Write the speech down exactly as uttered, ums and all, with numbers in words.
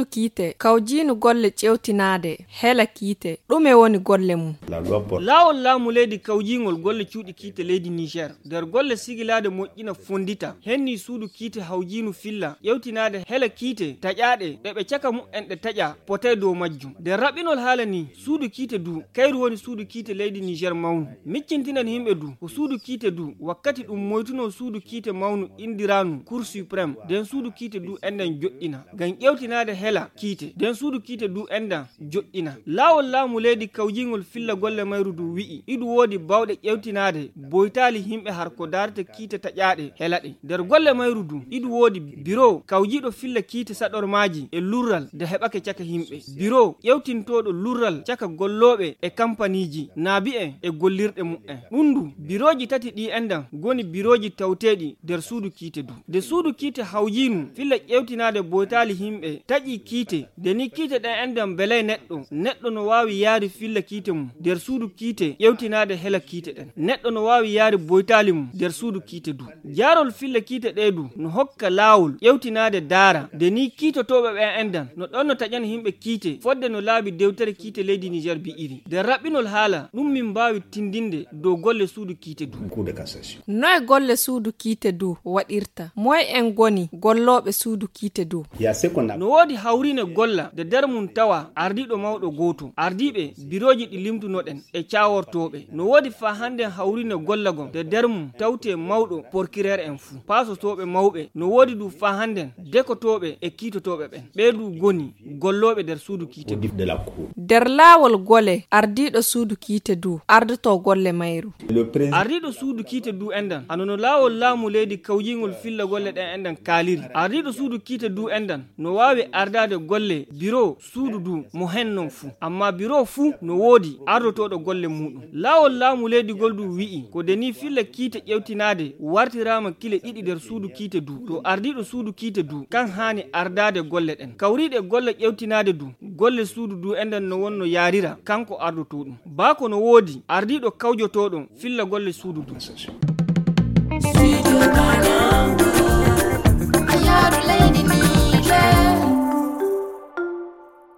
suudu kiite kawjinu golle cewtinade hela kiite ɗume woni golle mum. Lawol laamu leydi kawjingol golle cuuɗi kiite leydi Niger nder golle sigilade moƴƴina fondita henni suudu kiite hawjinu filla ƴewtinade hela kiite taƴaɗe ɗe ɓe caka mu'en ɗe taƴa potay dow majjum nder raɓɓinol haala ni suudu kiite du kayru woni suudu kiite leydi Niger mawnu miccintinan himɓe du ko suudu kiite du wakkati ɗum moytuno suudu kiite mawnu indiranu Cour suprême den suudu kiite du enden joɗɗina ngam ƴewtinade hela kiite den suudu kiite du endan joɗɗina laawol laamu leydi kawjingol filla golle mayru du wi'i idu woodi bawɗe ƴewtinade boytali himɓe har ko darata kiite taƴaɗe helaɗe nder golle mayru du idu woodi bureau kawjiɗo filla kiite saɗormaji e lurral de heɓake caka himɓe bureau ƴewtintoɗo lurral caka golloɓe e kampaniji naabi en e gollirɗe mu'en ɗum du biroji tati ɗi endan goni biroji tawteɗi nder suudu kiite du de suudu kiite hawjinu filla ƴewtinade boytali himɓe taƴi kiite deni kiite ɗen endan belay neɗɗo neɗɗo no wawi yaari filla kiite mum nder suudu kiite ƴewtinade hela kiite ɗen neɗɗo no wawi yaari boytali mum nder suudu kiite du jaarol filla kiite ɗe du no hokka laawol ƴewtinade daara deni kiitotoɓe ɓen endan no ɗon no taƴan himɓe kiite fodde no laabi dewtere kiite leydi Niger bi iri nder raɓɓinol haala ɗum min mbawi tindinde dow golle suudu kiite du. Noye golle suudu kiite du waɗirta moye en goni golloɓe suudu kiite du. No woodi hawrine golla de nder mum tawa ardiɗo mawɗo goto ardiɓe biroji ɗi limtunoɗen e cawortoɓe no woodi fa hande hawrine golla gon de nder mum tawte mawɗo procureur en fuu pasotoɓe mawɓe no woodi du fa handen dekotoɓe e kiitotoɓe ɓen ɓeedu goni golloɓe nder suudu kiite du. nder laawol gole ardiɗo suudu kiite du ardoto golle mayru ardiɗo suudu kiite du endan anono laawol laamu leydi kawjingol filla golle ɗen endan kaaliri ardiɗo suudu kiite du endan no wawi ardade golle bureau suudu du mo hennon fuu amma bureau fuu no woodi ardotoɗo golle muɗum laawol laamu leydi gol du wi'i ko deni filla kiite ƴewtinade wartirama kile ɗiɗi nder suudu kiite du to ardiɗo suudu kiite du kan hani ardade golle ɗen kawriɗe golle ƴewtinade du golle suudu du endan no wonno yarira kanko ardotoɗum baako no woodi ardiɗo kawjotoɗon filla golle suudu du. Studio Banangu, Ayaru Lady